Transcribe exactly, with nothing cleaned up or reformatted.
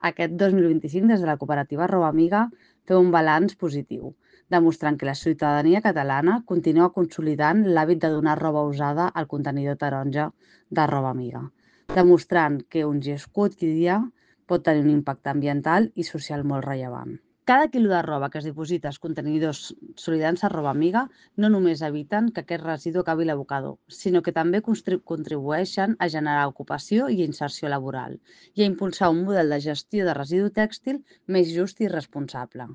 Aquest dos mil vint-i-cinc, des de la cooperativa Roba Amiga, feu un balanç positiu, demostrant que la ciutadania catalana continua consolidant l'hàbit de donar roba usada al contenidor taronja de Roba Amiga, demostrant que un gest quotidià pot tenir un impacte ambiental i social molt rellevant. Cada quilo de roba que es diposita als contenidors solidants a Roba Amiga no només eviten que aquest residu acabi a l'abocador, sinó que també contribueixen a generar ocupació i inserció laboral i a impulsar un model de gestió de residu tèxtil més just i responsable.